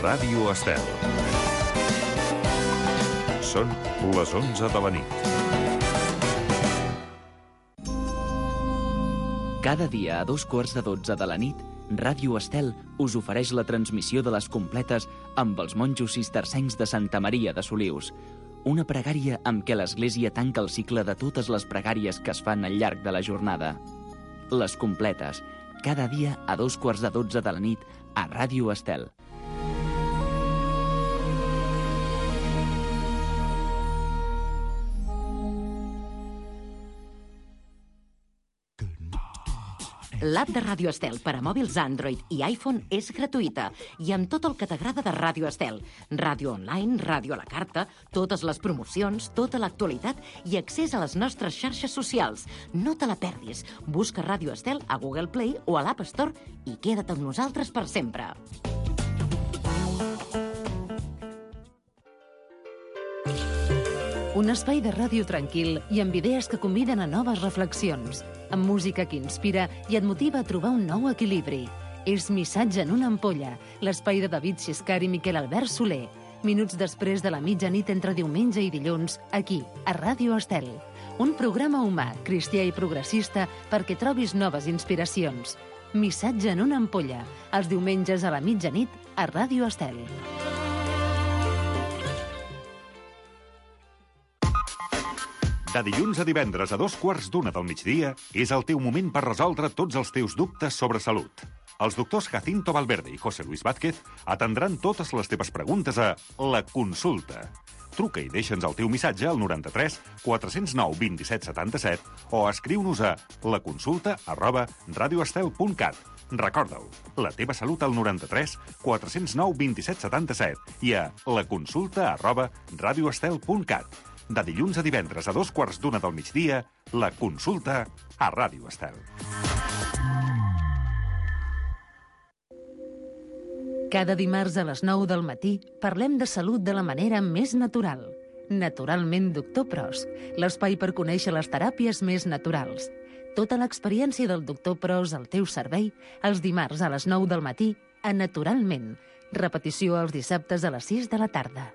Ràdio Estel. Són les 11 de la nit. Cada dia a 2:15 de la nit, Ràdio Estel us ofereix la transmissió de les completes amb els monjos cistercencs de Santa Maria de Solius. Una pregària amb què l'Església tanca el cicle de totes les pregàries que es fan al llarg de la jornada. Les completes, cada dia a 2:15 de la nit a Ràdio Estel. L'app de Ràdio Estel per a mòbils Android i iPhone és gratuïta i amb tot el que t'agrada de Ràdio Estel. Ràdio online, ràdio a la carta, totes les promocions, tota l'actualitat i accés a les nostres xarxes socials. No te la perdis. Busca Ràdio Estel a Google Play o a l'App Store i queda't amb nosaltres per sempre. Un espai de ràdio tranquil i amb idees que conviden a noves reflexions, amb música que inspira i et motiva a trobar un nou equilibri. És Missatge en una ampolla, l'espai de David Xiscar i Miquel Albert Soler. Minuts després de la mitjanit entre diumenge i dilluns, aquí, a Ràdio Estel. Un programa humà, cristià i progressista perquè trobis noves inspiracions. Missatge en una ampolla, els diumenges a la mitjanit a Ràdio Estel. De dilluns a divendres a 2:15 del migdia és el teu moment per resoldre tots els teus dubtes sobre salut. Els doctors Jacinto Valverde i José Luis Vázquez atendran totes les teves preguntes a La Consulta. Truca i deixa'ns el teu missatge al 93 409 27 77 o escriu-nos a laconsulta@radioestel.cat. Recorda-ho, la teva salut al 93 409 27 77 i a laconsulta@radioestel.cat. De dilluns a divendres a 2:15 del migdia, La Consulta a Ràdio Estel. Cada dimarts a les 9 del matí parlem de salut de la manera més natural. Naturalment, Doctor Pros, l'espai per conèixer les teràpies més naturals. Tota l'experiència del Doctor Pros al teu servei els dimarts a les 9 del matí a Naturalment. Repetició els dissabtes a les 6 de la tarda.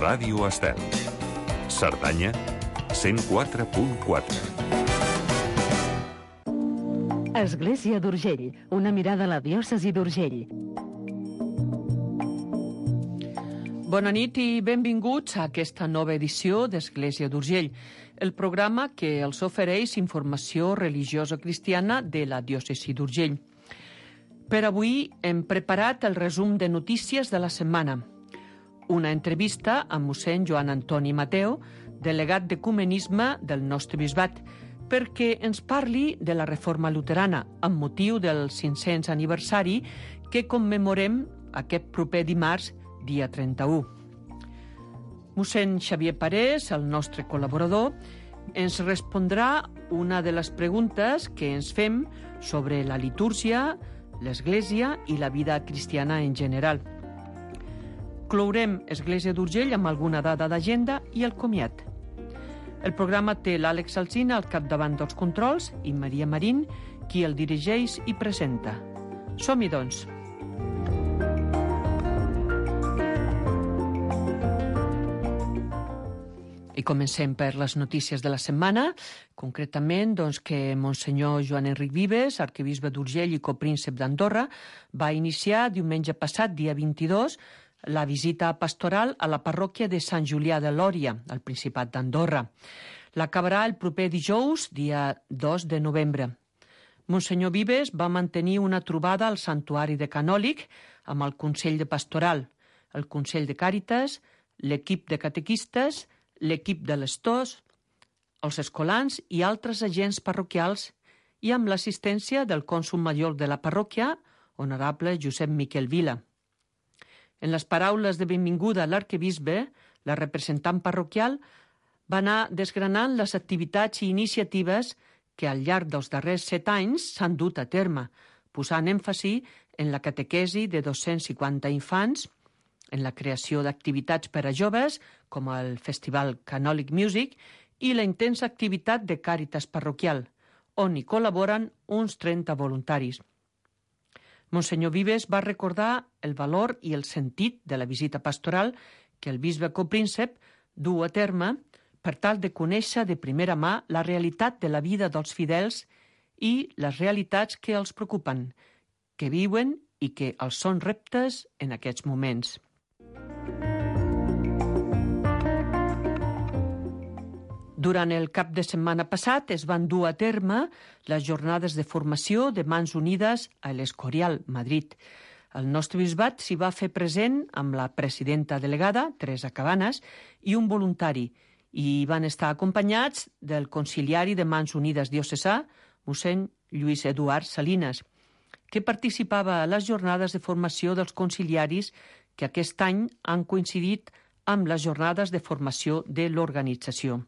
Ràdio Estel. Cerdanya, 104.4. Església d'Urgell, una mirada a la diòcesi d'Urgell. Bona nit i benvinguts a aquesta nova edició d'Església d'Urgell, el programa que els ofereix informació religiosa cristiana de la diòcesi d'Urgell. Per avui hem preparat el resum de notícies de la setmana. Una entrevista amb mossèn Joan Antoni Mateu, delegat d'Ecumenisme del nostre bisbat, perquè ens parli de la reforma luterana amb motiu del 500 aniversari que commemorem aquest proper dimarts, dia 31. Mossèn Xavier Parés, el nostre col·laborador, ens respondrà una de les preguntes que ens fem sobre la litúrgia, l'Església i la vida cristiana en general. Clourem Església d'Urgell amb alguna dada d'agenda i el comiat. El programa té l'Àlex Alsina al capdavant dels controls i Maria Marín, qui el dirigeix i presenta. Som-hi, doncs. I comencem per les notícies de la setmana, concretament que Monsenyor Joan Enric Vives, arquebisbe d'Urgell i copríncep d'Andorra, va iniciar diumenge passat, dia 22, la visita pastoral a la parròquia de Sant Julià de Lòria, al Principat d'Andorra. L'acabarà el proper dijous, dia 2 de novembre. Monsenyor Vives va mantenir una trobada al Santuari de Canòlic amb el Consell de Pastoral, el Consell de Càritas, l'equip de catequistes, l'equip de l'Estós, els escolans i altres agents parroquials i amb l'assistència del cònsol major de la parròquia, honorable Josep Miquel Vila. En les paraules de benvinguda a l'arquebisbe, la representant parroquial va anar desgranant les activitats i iniciatives que al llarg dels darrers 7 anys s'han dut a terme, posant èmfasi en la catequesi de 250 infants, en la creació d'activitats per a joves, com el Festival Canòlic Music, i la intensa activitat de Càritas parroquial, on hi col·laboren uns 30 voluntaris. Monsenyor Vives va recordar el valor i el sentit de la visita pastoral que el bisbe copríncep du a terme per tal de conèixer de primera mà la realitat de la vida dels fidels i les realitats que els preocupen, que viuen i que els són reptes en aquests moments. Durant el cap de setmana passat es van dur a terme les jornades de formació de Mans Unides a l'Escorial, Madrid. El nostre bisbat s'hi va fer present amb la presidenta delegada, Teresa Cabanes, i un voluntari, i van estar acompanyats del conciliari de Mans Unides diocesà, mossèn Lluís Eduard Salinas, que participava a les jornades de formació dels conciliaris que aquest any han coincidit amb les jornades de formació de l'organització.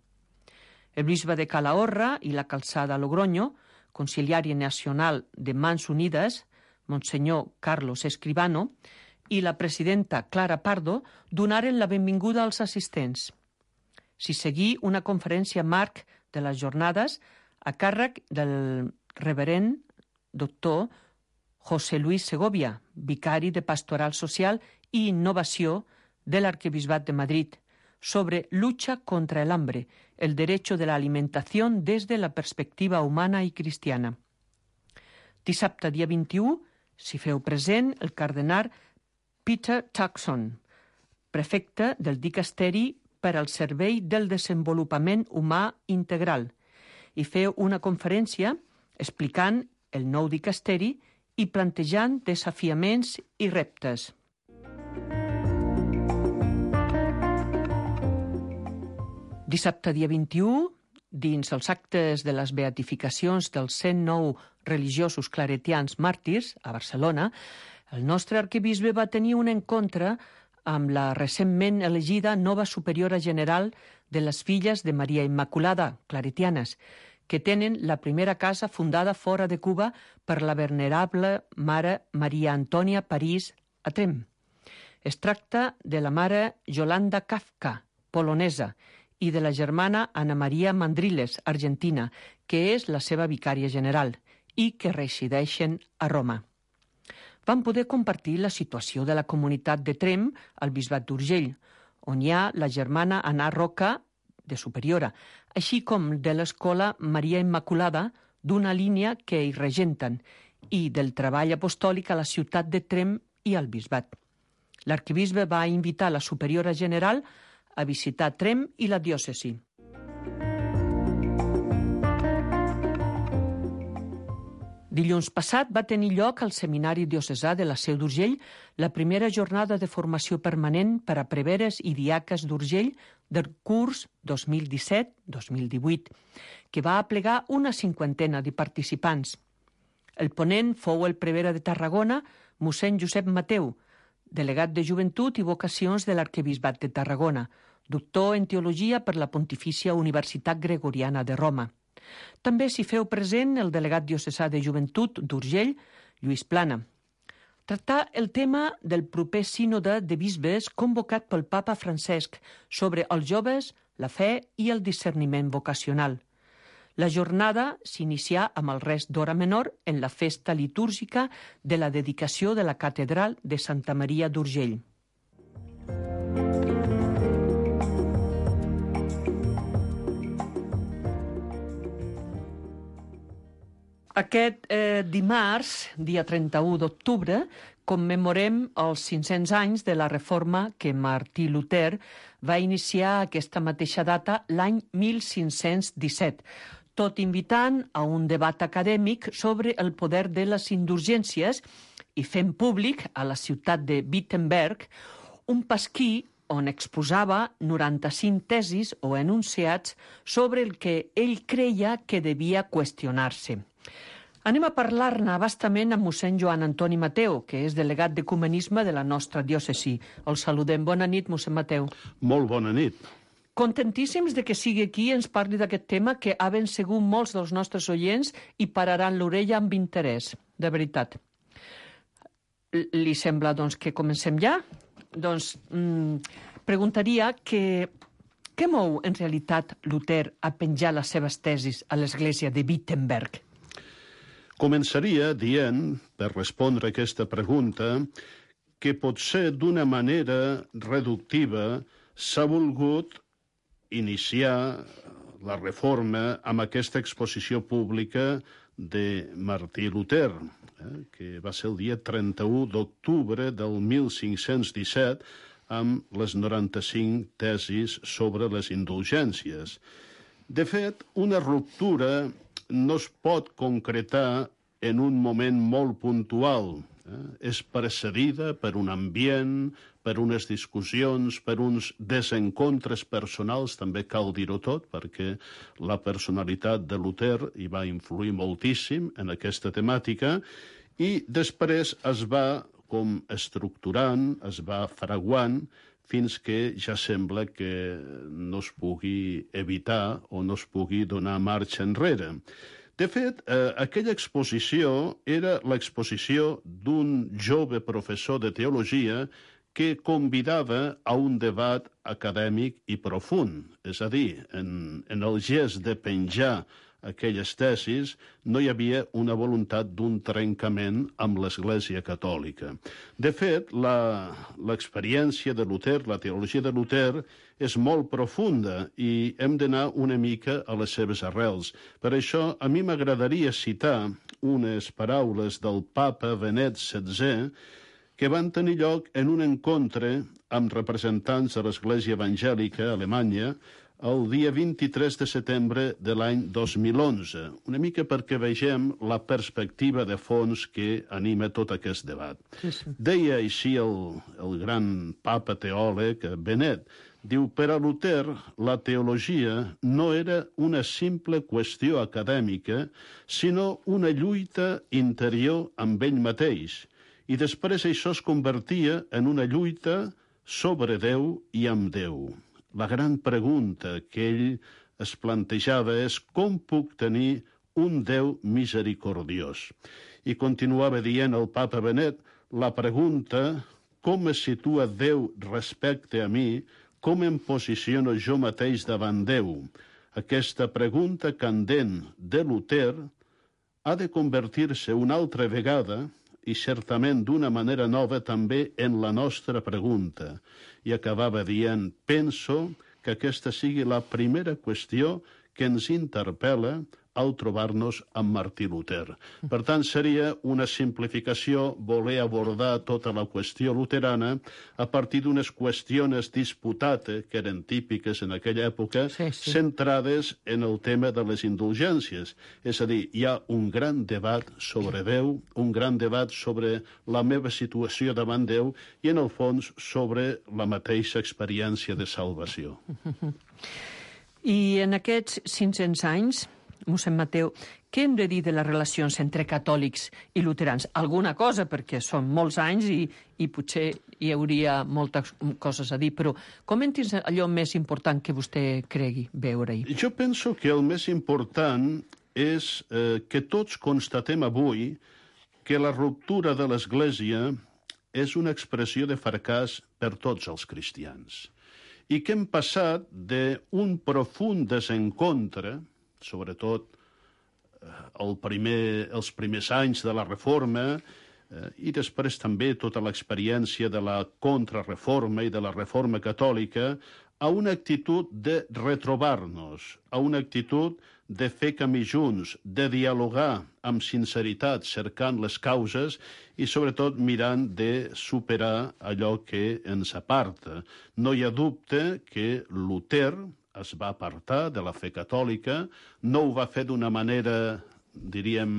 El bisbe de Calahorra i la Calçada Logroño, conciliari nacional de Mans Unides, Monsenyor Carlos Escribano, i la presidenta Clara Pardo donaren la benvinguda als assistents. S'hi seguí una conferència marc de les jornades a càrrec del reverend doctor José Luis Segovia, vicari de Pastoral Social i Innovació de l'Arquebisbat de Madrid, sobre lucha contra el hambre, el derecho de la alimentación desde la perspectiva humana i cristiana. Dissabte, dia 21, s'hi feu present el cardenal Peter Turkson, prefecte del Dicasteri per al Servei del Desenvolupament Humà Integral, i feu una conferència explicant el nou dicasteri i plantejant desafiaments i reptes. Dissabte, dia 21, dins els actes de les beatificacions dels 109 religiosos claretians màrtirs a Barcelona, el nostre arquebisbe va tenir un encontre amb la recentment elegida nova superiora general de les filles de Maria Immaculada, claretianes, que tenen la primera casa fundada fora de Cuba per la venerable mare Maria Antònia París a Trem. Es tracta de la mare Yolanda Kafka, polonesa, i de la germana Ana Maria Mandriles, argentina, que és la seva vicària general i que resideixen a Roma. Van poder compartir la situació de la comunitat de Trem al Bisbat d'Urgell, on hi ha la germana Ana Roca, de superiora, així com de l'escola Maria Immaculada, d'una línia que hi regenten, i del treball apostòlic a la ciutat de Trem i al Bisbat. L'arquebisbe va invitar la superiora general a visitar Trem i la diòcesi. Dilluns passat va tenir lloc al Seminari Diocesà de la Seu d'Urgell la primera jornada de formació permanent per a preveres i diaques d'Urgell del curs 2017-2018, que va aplegar una cinquantena de participants. El ponent fou el prevere de Tarragona, mossèn Josep Mateu, delegat de Joventut i Vocacions de l'Arquebisbat de Tarragona, doctor en Teologia per la Pontifícia Universitat Gregoriana de Roma. També s'hi feu present el delegat diocesà de Joventut d'Urgell, Lluís Plana. Tractar el tema del proper sínode de bisbes convocat pel papa Francesc sobre els joves, la fe i el discerniment vocacional. La jornada s'inicià amb el rest d'hora menor en la festa litúrgica de la dedicació de la catedral de Santa Maria d'Urgell. Aquest dimarts, dia 31 d'octubre, commemorem els 500 anys de la reforma que Martí Luter va iniciar aquesta mateixa data l'any 1517, tot invitant a un debat acadèmic sobre el poder de les indulgències i fent públic a la ciutat de Wittenberg un pasquí on exposava 95 tesis o enunciats sobre el que ell creia que devia qüestionar-se. Anem a parlar-ne bastament amb mossèn Joan Antoni Mateu, que és delegat d'ecumenisme de la nostra diòcesi. El saludem. Bona nit, mossèn Mateu. Molt bona nit. Contentíssims de que sigui aquí i ens parli d'aquest tema que ha ben segur molts dels nostres oients i pararan l'orella amb interès, de veritat. Li sembla, doncs, que comencem ja? Doncs preguntaria que Què mou, en realitat, Luter a penjar les seves tesis a l'església de Wittenberg? Començaria dient, per respondre a aquesta pregunta, que potser d'una manera reductiva s'ha volgut iniciar la reforma amb aquesta exposició pública de Martí Luter, que va ser el dia 31 d'octubre del 1517, amb les 95 tesis sobre les indulgències. De fet, una ruptura no es pot concretar en un moment molt puntual. És precedida per un ambient, per unes discussions, per uns desencontres personals, també cal dir-ho tot, perquè la personalitat de Luter hi va influir moltíssim en aquesta temàtica, i després es va com estructurant, es va fraguant, fins que ja sembla que no es pugui evitar o no es pugui donar marxa enrere. De fet, aquella exposició era l'exposició d'un jove professor de teologia que convidava a un debat acadèmic i profund. És a dir, en el gest de penjar aquelles tesis no hi havia una voluntat d'un trencament amb l'Església Catòlica. De fet, l'experiència de Luter, la teologia de Luter, és molt profunda i hem d'anar una mica a les seves arrels. Per això, a mi m'agradaria citar unes paraules del papa Benet XVI que van tenir lloc en un encontre amb representants de l'Església Evangèlica Alemanya el dia 23 de setembre de l'any 2011, una mica perquè vegem la perspectiva de fons que anima tot aquest debat. Sí. Deia així el gran papa teòleg Benet, diu, per a Luter, la teologia no era una simple qüestió acadèmica, sinó una lluita interior amb ell mateix, i després això es convertia en una lluita sobre Déu i amb Déu. La gran pregunta que ell es plantejava és com puc tenir un Déu misericordiós. I continuava dient el papa Benet, la pregunta com es situa Déu respecte a mi, com em posiciono jo mateix davant Déu. Aquesta pregunta candent de Luter ha de convertir-se una altra vegada i certament d'una manera nova també en la nostra pregunta. I acabava dient, penso que aquesta sigui la primera qüestió que ens interpel·la al trobar-nos amb Martí Luter. Per tant, seria una simplificació voler abordar tota la qüestió luterana a partir d'unes qüestions disputate, que eren típiques en aquella època, centrades en el tema de les indulgències. És a dir, hi ha un gran debat sobre Déu, un gran debat sobre la meva situació davant Déu i, en el fons, sobre la mateixa experiència de salvació. I en aquests 500 anys, mossèn Mateu, què hem de dir de les relacions entre catòlics i luterans? Alguna cosa, perquè són molts anys i potser hi hauria moltes coses a dir, però comenti'ns allò més important que vostè cregui veure-hi. Jo penso que el més important és que tots constatem avui que la ruptura de l'Església és una expressió de fracàs per tots els cristians i que hem passat d'un profund desencontre, sobretot els primers anys de la Reforma i després també tota l'experiència de la contrarreforma i de la Reforma Catòlica, a una actitud de retrobar-nos, a una actitud de fer camí junts, de dialogar amb sinceritat, cercant les causes i, sobretot, mirant de superar allò que ens aparta. No hi ha dubte que Luter es va apartar de la fe catòlica, no ho va fer d'una manera, diríem,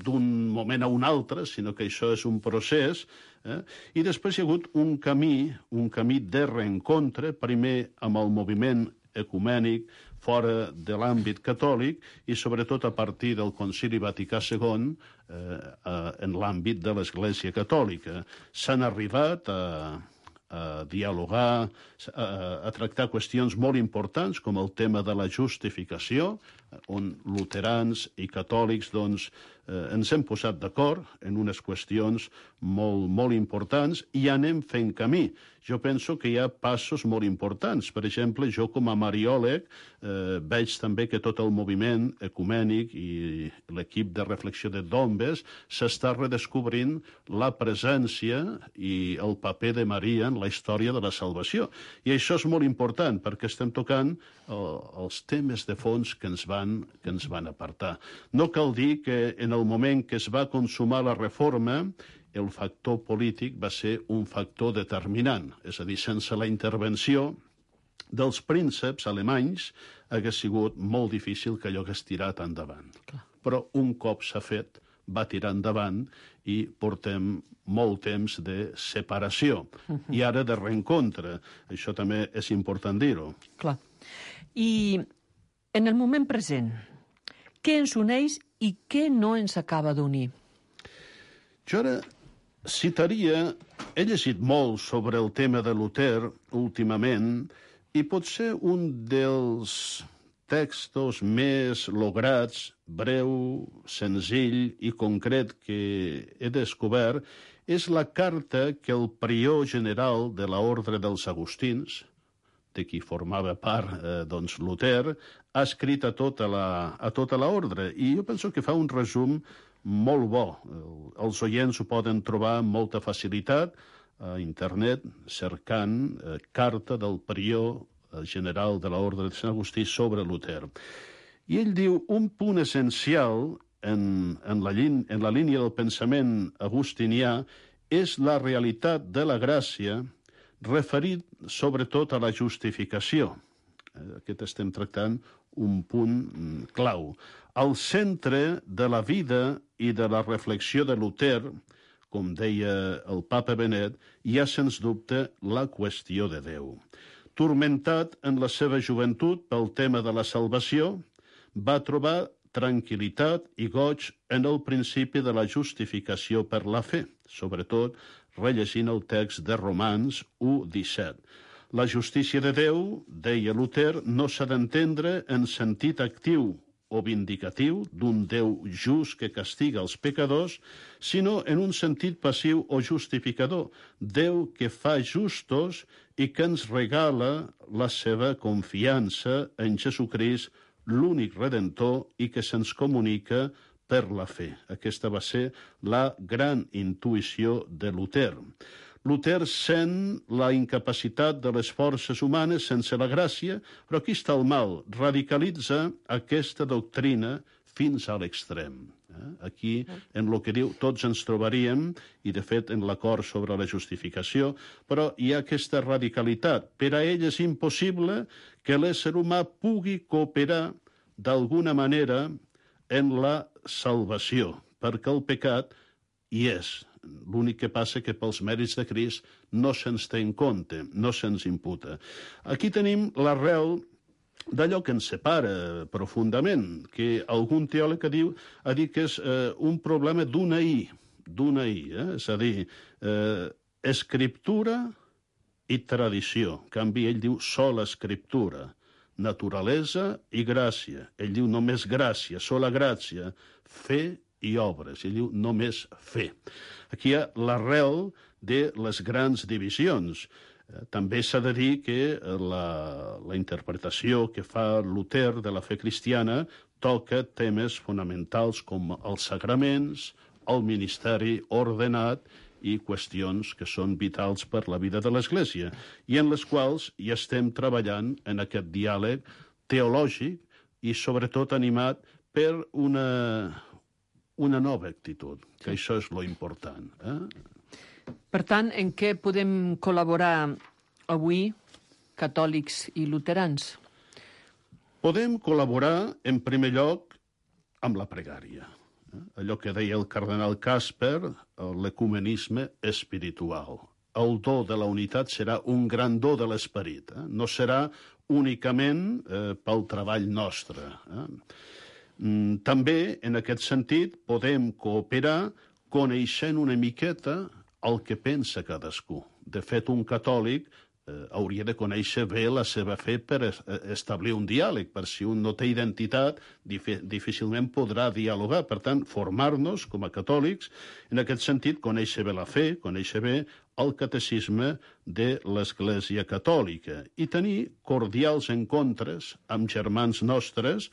d'un moment a un altre, sinó que això és un procés, i després hi ha hagut un camí de reencontre, primer amb el moviment ecumènic fora de l'àmbit catòlic i sobretot a partir del Concili Vaticà II en l'àmbit de l'Església Catòlica. S'han arribat a dialogar, a tractar qüestions molt importants com el tema de la justificació, on luterans i catòlics doncs, ens hem posat d'acord en unes qüestions molt importants i anem fent camí. Jo penso que hi ha passos molt importants. Per exemple, jo com a mariòleg veig també que tot el moviment ecumènic i l'equip de reflexió de Dombes s'està redescobrint la presència i el paper de Maria en la història de la salvació. I això és molt important perquè estem tocant els temes de fons que ens van apartar. No cal dir que en el moment que es va consumar la reforma, el factor polític va ser un factor determinant. És a dir, sense la intervenció dels prínceps alemanys hagués sigut molt difícil que allò hagués tirat endavant. Clar. Però un cop s'ha fet, va tirar endavant i portem molt temps de separació. I ara de reencontre. Això també és important dir-ho. Clar. I en el moment present, què ens uneix i què no ens acaba d'unir? Jo ara citaria... He llegit molt sobre el tema de Luter últimament i potser un dels textos més lograts, breu, senzill i concret que he descobert és la carta que el prior general de l'Ordre dels Agustins, de qui formava part doncs, Luter, ha escrit a tota l'ordre. I jo penso que fa un resum molt bo. Els oients ho poden trobar amb molta facilitat a internet, cercant carta del prior general de l'Ordre de Sant Agustí sobre Luter. I ell diu, un punt essencial en la línia del pensament agustinià és la realitat de la gràcia referit sobretot a la justificació. Aquest estem tractant un punt clau. Al centre de la vida i de la reflexió de Luter, com deia el papa Benet, hi ha sens dubte la qüestió de Déu. Turmentat en la seva joventut pel tema de la salvació, va trobar tranquil·litat i goig en el principi de la justificació per la fe, sobretot rellegint el text de Romans 1:17. La justícia de Déu, deia Luter, no s'ha d'entendre en sentit actiu o vindicatiu d'un Déu just que castiga els pecadors, sinó en un sentit passiu o justificador, Déu que fa justos i que ens regala la seva confiança en Jesucrist, l'únic redentor, i que se'ns comunica per la fe. Aquesta va ser la gran intuïció de Luter. Luter sent la incapacitat de les forces humanes sense la gràcia, però aquí està el mal. Radicalitza aquesta doctrina fins a l'extrem. Aquí, en el que diu, tots ens trobaríem, i de fet en l'acord sobre la justificació, però hi ha aquesta radicalitat. Per a ell és impossible que l'ésser humà pugui cooperar d'alguna manera en la salvació, perquè el pecat hi és. L'únic que passa que pels mèrits de Crist no se'ns té en compte, no se'ns imputa. Aquí tenim l'arrel d'allò que ens separa profundament, que algun teòleg ha dit que és un problema d'una I, és a dir, escriptura i tradició. En canvi, ell diu sola escriptura, naturalesa i gràcia. Ell diu només gràcia, sola gràcia, fe i obres. Ell diu només fe. Aquí hi ha l'arrel de les grans divisions. També s'ha de dir que la interpretació que fa Luter de la fe cristiana toca temes fonamentals com els sagraments, el ministeri ordenat i qüestions que són vitals per la vida de l'Església, i en les quals hi estem treballant en aquest diàleg teològic i sobretot animat per una nova actitud, que això és lo important. Per tant, en què podem col·laborar avui, catòlics i luterans? Podem col·laborar, en primer lloc, amb la pregària. Allò que deia el cardenal Casper, l'ecumenisme espiritual. El do de la unitat serà un gran do de l'esperit. No serà únicament pel treball nostre. També, en aquest sentit, podem cooperar coneixent una miqueta el que pensa cadascú. De fet, un catòlic hauria de conèixer bé la seva fe per establir un diàleg, per si un no té identitat, difícilment podrà dialogar. Per tant, formar-nos com a catòlics, en aquest sentit, conèixer bé la fe, conèixer bé el catecisme de l'Església Catòlica i tenir cordials encontres amb germans nostres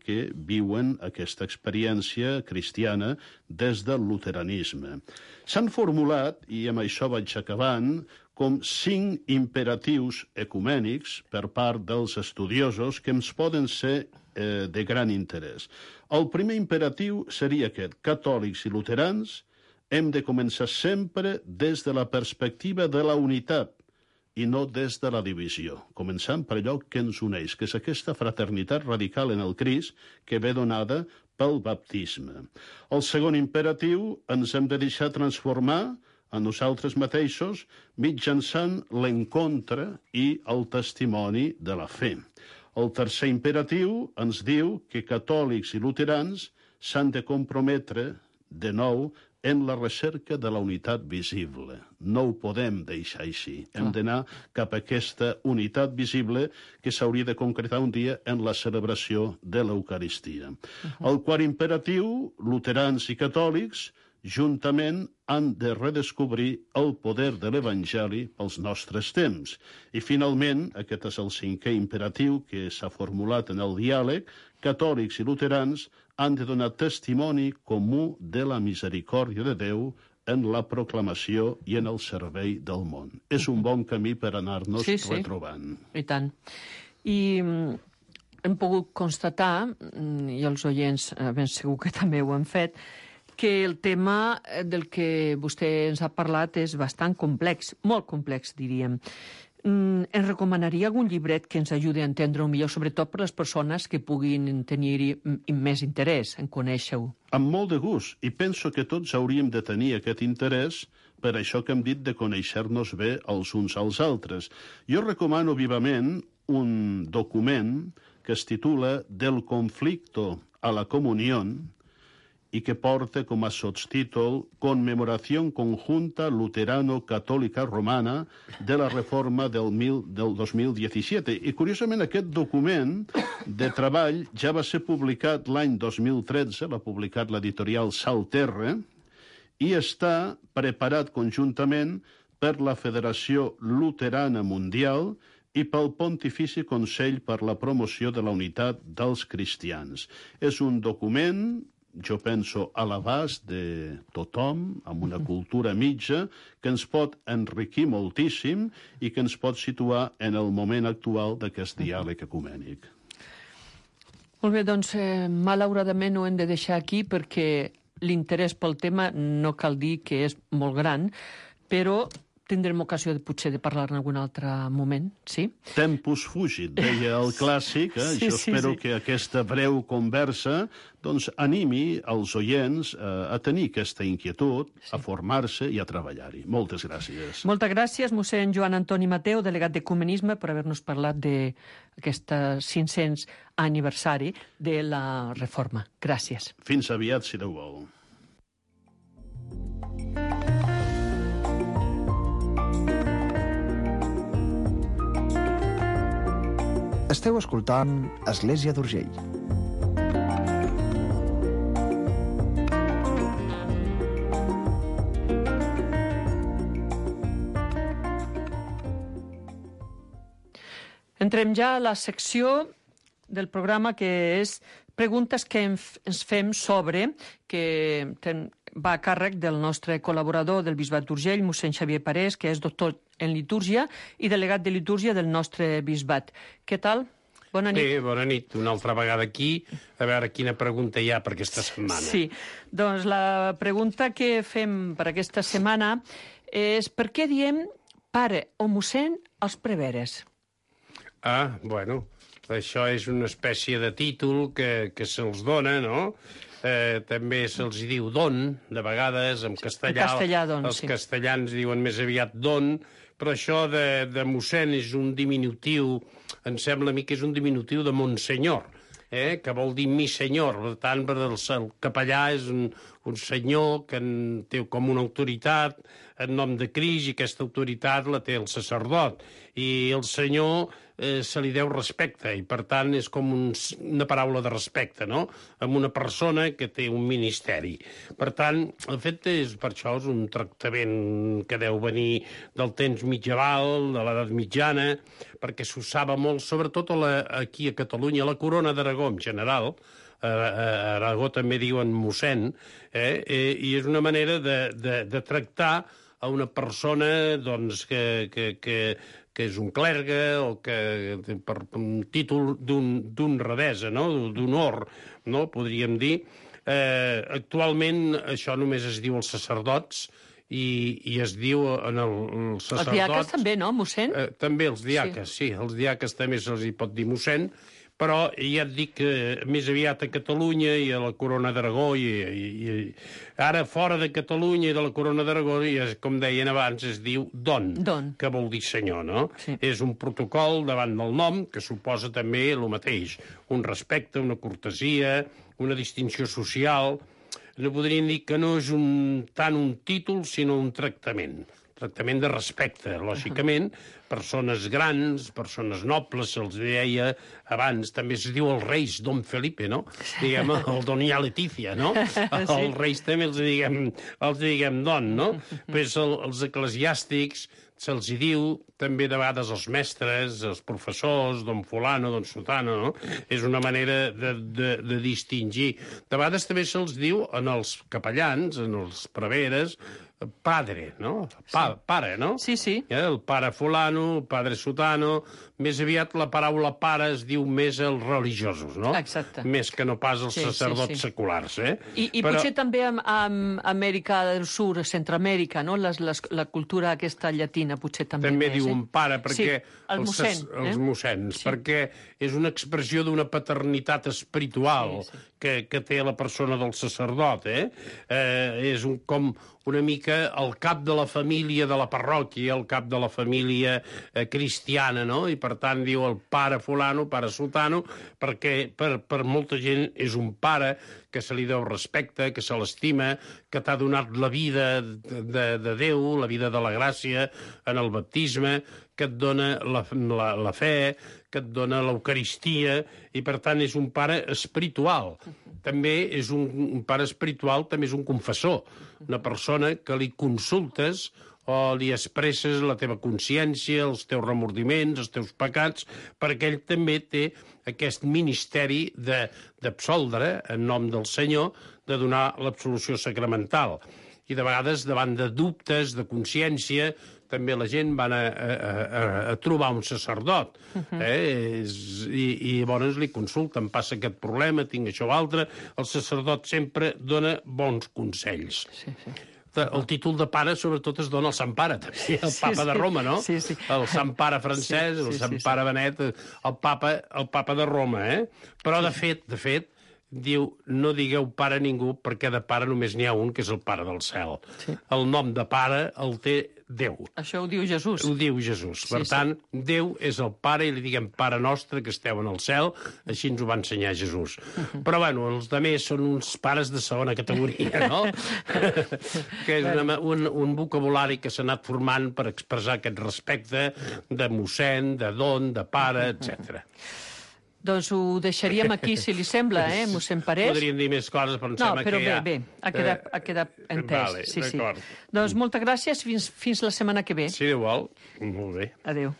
que viuen aquesta experiència cristiana des del luteranisme. S'han formulat, i amb això vaig acabant, com 5 imperatius ecumènics per part dels estudiosos que ens poden ser de gran interès. El primer imperatiu seria aquest: catòlics i luterans hem de començar sempre des de la perspectiva de la unitat i no des de la divisió, començant per allò que ens uneix, que és aquesta fraternitat radical en el Crist que ve donada pel baptisme. El segon imperatiu: ens hem de deixar transformar a nosaltres mateixos mitjançant l'encontre i el testimoni de la fe. El tercer imperatiu ens diu que catòlics i luterans s'han de comprometre de nou en la recerca de la unitat visible. No ho podem deixar així. Hem d'anar cap a aquesta unitat visible que s'hauria de concretar un dia en la celebració de l'Eucaristia. El quart imperatiu: luterans i catòlics juntament han de redescobrir el poder de l'Evangeli pels nostres temps. I, finalment, aquest és el 5è imperatiu que s'ha formulat en el diàleg: catòlics i luterans han de donar testimoni comú de la misericòrdia de Déu en la proclamació i en el servei del món. És un bon camí per anar-nos retrobant. I tant. I hem pogut constatar, i els oients ben segur que també ho han fet, que el tema del que vostè ens ha parlat és bastant complex, molt complex, diríem. Ens recomanaria algun llibret que ens ajudi a entendre-ho millor, sobretot per les persones que puguin tenir-hi més interès en conèixer-ho? Amb molt de gust, i penso que tots hauríem de tenir aquest interès per això que hem dit de conèixer-nos bé els uns als altres. Jo recomano vivament un document que es titula Del conflicto a la comunión i que porta com a sotstítol Conmemoración conjunta luterano-catòlica romana de la reforma del 2017. I, curiosament, aquest document de treball ja va ser publicat l'any 2013, l'ha publicat l'editorial Salterra, i està preparat conjuntament per la Federació Luterana Mundial i pel Pontifici Consell per la Promoció de la Unitat dels Cristians. És un document, jo penso, a l'abast de tothom, amb una cultura mitja, que ens pot enriquir moltíssim i que ens pot situar en el moment actual d'aquest diàleg ecumènic. Molt bé, doncs, malauradament ho hem de deixar aquí perquè l'interès pel tema no cal dir que és molt gran, però tindrem ocasió potser de parlar en algun altre moment, sí? Tempus fugit, deia el clàssic. Jo espero que aquesta breu conversa doncs, animi els oients a tenir aquesta inquietud, a formar-se i a treballar-hi. Moltes gràcies. Moltes gràcies, mossèn Joan Antoni Mateu, delegat d'Ecumenisme, per haver-nos parlat d'aquest 500 aniversari de la reforma. Gràcies. Fins aviat, si Déu vol. Esteu escoltant Església d'Urgell. Entrem ja a la secció del programa que és preguntes que ens fem sobre, que va a càrrec del nostre col·laborador del Bisbat d'Urgell, mossèn Xavier Parés, que és doctor en litúrgia i delegat de litúrgia del nostre bisbat. Què tal? Bona nit. Bé, bona nit. Una altra vegada aquí, a veure quina pregunta hi ha per aquesta setmana. Sí, doncs la pregunta que fem per aquesta setmana és per què diem pare o mossèn als preveres? Bueno, això és una espècie de títol que se'ls dona, no? També se'ls diu don, de vegades, en castellà. En castellà, don, els castellans diuen més aviat don, però això de mossèn és un diminutiu, em sembla a mi que és un diminutiu de monsenyor, que vol dir mi senyor. Per tant, el capellà és un senyor que té com una autoritat en nom de Crist, i aquesta autoritat la té el sacerdot. I el senyor se li deu respecte, i per tant és com una paraula de respecte, no?, amb una persona que té un ministeri. Per tant, el fet és, per això, és un tractament que deu venir del temps mitjaval, de l'edat mitjana, perquè s'usava molt, sobretot aquí a Catalunya, a la Corona d'Aragó en general. A Aragó també diuen mossèn, i és una manera de tractar a una persona, doncs, que és un clergue, o que per un títol d'honradesa, no?, d'honor, no?, podríem dir. Actualment això només es diu als sacerdots, i es diu en els sacerdots... Els diaques també, no, mossèn? També els diaques, sí. Els diaques també se'ls hi pot dir mossèn, però ja et dic que més aviat a Catalunya i a la Corona d'Aragó, i ara fora de Catalunya i de la Corona d'Aragó, com deien abans, es diu don, que vol dir senyor, no? Sí. És un protocol davant del nom que suposa també el mateix, un respecte, una cortesia, una distinció social. No podríem dir que no és tant un títol, sinó un tractament de respecte, lògicament. Persones grans, persones nobles, se'ls deia abans, també es diu els reis, don Felipe, no? Diguem, el doña Leticia, no? Els reis també els diguem don, no? Pues els eclesiàstics se'ls hi diu, també de vegades els mestres, els professors, don fulano, don sutano, no? És una manera de distingir. De vegades també se'ls diu en els capellans, en els preveres, padre, no? Pare, no? Sí, sí. El pare fulano, el padre sutano. Més aviat la paraula pare es diu més als religiosos, no? Exacte. Més que no pas als sacerdots seculars, I potser també a Amèrica del Sur, Centroamèrica, no? La cultura aquesta llatina potser també també més, diuen pare, perquè... Sí, el mossèn. Els mossèns, perquè és una expressió d'una paternitat espiritual que té la persona del sacerdot, és com una mica el cap de la família de la parròquia, el cap de la família cristiana, no? I per tant diu el pare fulano, pare sutano, perquè per molta gent és un pare que se li deu respecte, que se l'estima, que t'ha donat la vida de Déu, la vida de la gràcia en el baptisme, que et dona la fe, que et dona l'Eucaristia, i per tant és un pare espiritual. També és un pare espiritual, també és un confessor, una persona que li consultes o li expresses la teva consciència, els teus remordiments, els teus pecats, perquè ell també té aquest ministeri d'absoldre en nom del Senyor, de donar l'absolució sacramental. I de vegades, davant de dubtes, de consciència, també la gent van a trobar un sacerdot, i llavors li consulten, passa aquest problema, tinc això o altre. El sacerdot sempre dona bons consells. El títol de pare, sobretot, es dona al Sant Pare, també, el papa de Roma, no? El Sant Pare francès, el Sant Pare Benet, el papa de Roma, Però, de fet, diu, no digueu pare a ningú, perquè de pare només n'hi ha un, que és el Pare del cel. El nom de pare el té Déu. Això ho diu Jesús. Ho diu Jesús. Per tant, Déu és el Pare, i li diguem Pare nostre que esteu en el cel, així ens ho va ensenyar Jesús. Però, bueno, els altres són uns pares de segona categoria, no? Que és un vocabulari que s'ha anat formant per expressar aquest respecte de mossèn, de don, de pare, etc. Doncs ho deixaríem aquí, si li sembla, mossèn Parés. Podríem dir més coses, però em sembla que ja... No, però bé, ha quedat entès. Vale, sí. D'acord. Doncs moltes gràcies, fins la setmana que ve. Si Déu vol, molt bé. Adéu.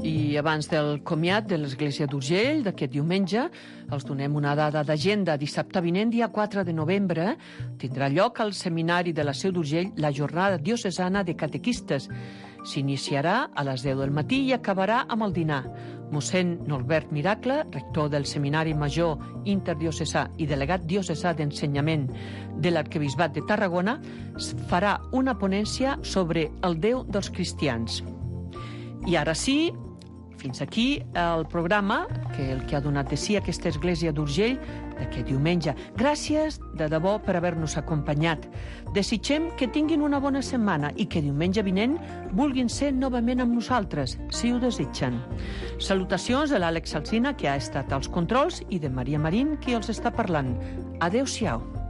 I abans del comiat de l'Església d'Urgell d'aquest diumenge, els donem una dada d'agenda. Dissabte vinent, dia 4 de novembre, tindrà lloc al Seminari de la Seu d'Urgell la jornada diocesana de catequistes. S'iniciarà a les 10 del matí i acabarà amb el dinar. Mossèn Norbert Miracle, rector del Seminari Major Interdiocesà i delegat diocesà d'ensenyament de l'Arquebisbat de Tarragona, farà una ponència sobre el Déu dels cristians. I ara sí, fins aquí el programa, el que ha donat de si aquesta Església d'Urgell d'aquest diumenge. Gràcies, de debò, per haver-nos acompanyat. Desitgem que tinguin una bona setmana i que diumenge vinent vulguin ser novament amb nosaltres, si ho desitgen. Salutacions de l'Àlex Alsina, que ha estat als controls, i de Maria Marín, qui els està parlant. Adéu-siau.